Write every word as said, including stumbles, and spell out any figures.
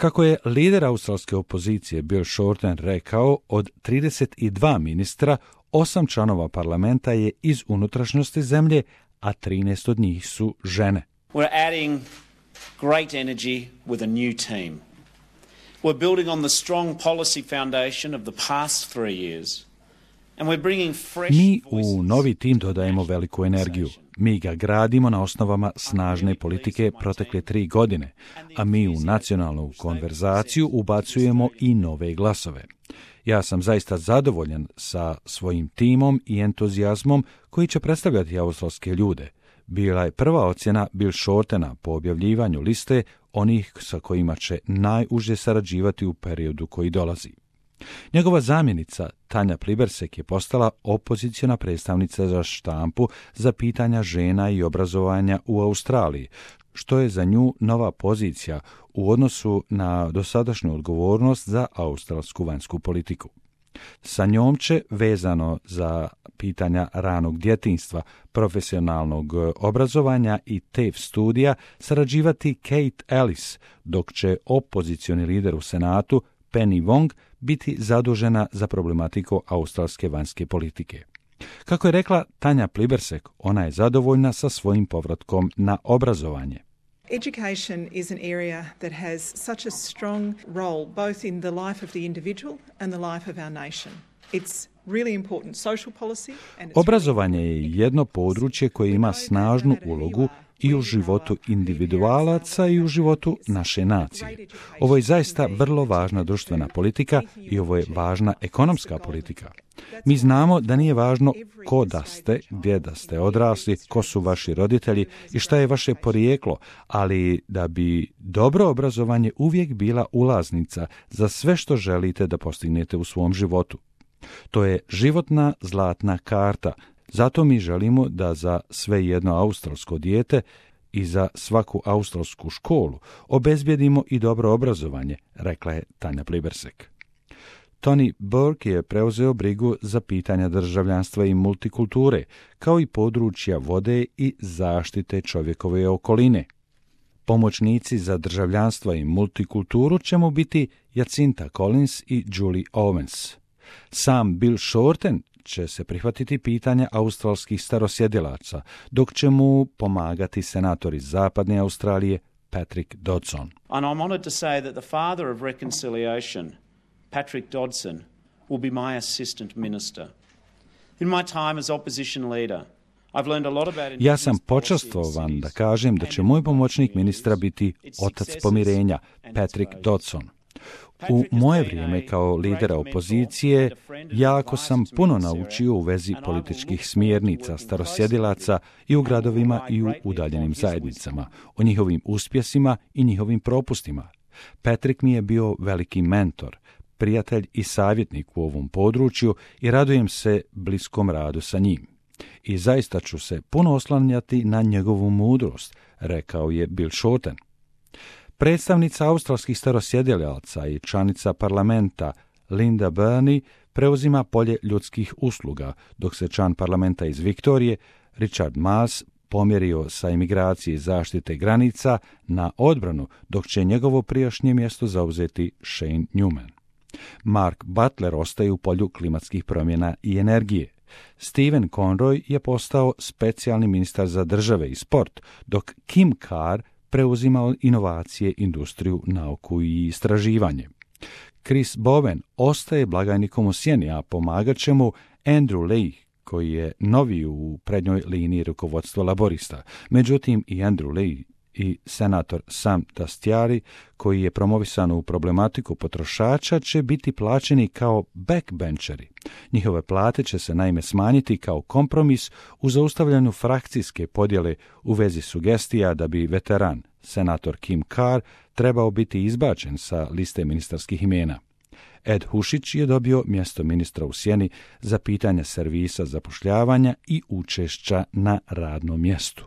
Kako je lider australske opozicije Bill Shorten rekao, od trideset dva ministra, osam članova parlamenta je iz unutrašnjosti zemlje, a trinaest od njih su žene. We're adding great energy with a new team. We're building on the strong policy foundation of the past three years. And we're bringing fresh Mi voices. u novi tim dodajemo veliku energiju. Mi ga gradimo na osnovama snažne politike protekle tri godine, a mi u nacionalnu konverzaciju ubacujemo i nove glasove. Ja sam zaista zadovoljan sa svojim timom i entuzijazmom koji će predstavljati australske ljude. Bila je prva ocjena Bill Shortena po objavljivanju liste onih sa kojima će najuže sarađivati u periodu koji dolazi. Njegova zamjenica Tanja Plibersek je postala opoziciona predstavnica za štampu za pitanja žena i obrazovanja u Australiji, što je za nju nova pozicija u odnosu na dosadašnju odgovornost za australsku vanjsku politiku. Sa njom će, vezano za pitanja ranog djetinjstva, profesionalnog obrazovanja i T A F E studija, sarađivati Kate Ellis, dok će opozicioni lider u Senatu Penny Wong biti zadužena za problematiku australske vanjske politike. Kako je rekla Tanja Plibersek, ona je zadovoljna sa svojim povratkom na obrazovanje. Education is an area that has such a strong role both in the life of the individual and the life of our nation. It's really important social policy and it's Obrazovanje je jedno područje koje ima snažnu ulogu i u životu individualaca i u životu naše nacije. Ovo je zaista vrlo važna društvena politika i ovo je važna ekonomska politika. Mi znamo da nije važno ko da ste, gdje da ste odrasli, ko su vaši roditelji i šta je vaše porijeklo, ali da bi dobro obrazovanje uvijek bila ulaznica za sve što želite da postignete u svom životu. To je životna zlatna karta. Zato mi želimo da za sve jedno australsko dijete i za svaku australsku školu obezbjedimo i dobro obrazovanje, rekla je Tanja Plibersek. Tony Burke je preuzeo brigu za pitanja državljanstva i multikulture, kao i područja vode i zaštite čovjekove okoline. Pomoćnici za državljanstva i multikulturu će mu biti Jacinta Collins i Julie Owens. Sam Bill Shorten će se prihvatiti pitanja australskih starosjedilaca, dok će mu pomagati senator iz Zapadne Australije Patrick Dodson. And I'm honored to say that the father of reconciliation, Patrick Dodson, will be my assistant minister. In my time as opposition leader, I've learned a lot about Ja sam počastvovan da kažem da će moj pomoćnik ministra biti otac pomirenja, Patrick Dodson. U moje vrijeme kao lidera opozicije jako sam puno naučio u vezi političkih smjernica starosjedilaca i u gradovima i u udaljenim zajednicama, o njihovim uspjesima i njihovim propustima. Patrick mi je bio veliki mentor, prijatelj i savjetnik u ovom području i radujem se bliskom radu sa njim. I zaista ću se puno oslanjati na njegovu mudrost, rekao je Bill Shorten. Predstavnica australskih starosjedilaca i članica parlamenta Linda Burney preuzima polje ljudskih usluga, dok se član parlamenta iz Viktorije Richard Marles pomjerio sa imigracije i zaštite granica na odbranu, dok će njegovo prijašnje mjesto zauzeti Shane Newman. Mark Butler ostaje u polju klimatskih promjena i energije. Stephen Conroy je postao specijalni ministar za države i sport, dok Kim Carr preuzima inovacije, industriju, nauku i istraživanje. Chris Bowen ostaje blagajnikom u sjeni, a pomagat će mu Andrew Leigh, koji je novi u prednjoj liniji rukovodstva laborista. Međutim, i Andrew Leigh i senator Sam Dastyari, koji je promovisan u problematiku potrošača, će biti plaćeni kao backbencheri. Njihove plate će se naime smanjiti kao kompromis u zaustavljanju frakcijske podjele u vezi sugestija da bi veteran, senator Kim Carr, trebao biti izbačen sa liste ministarskih imena. Ed Hušić je dobio mjesto ministra u sjeni za pitanja servisa zapošljavanja i učešća na radnom mjestu.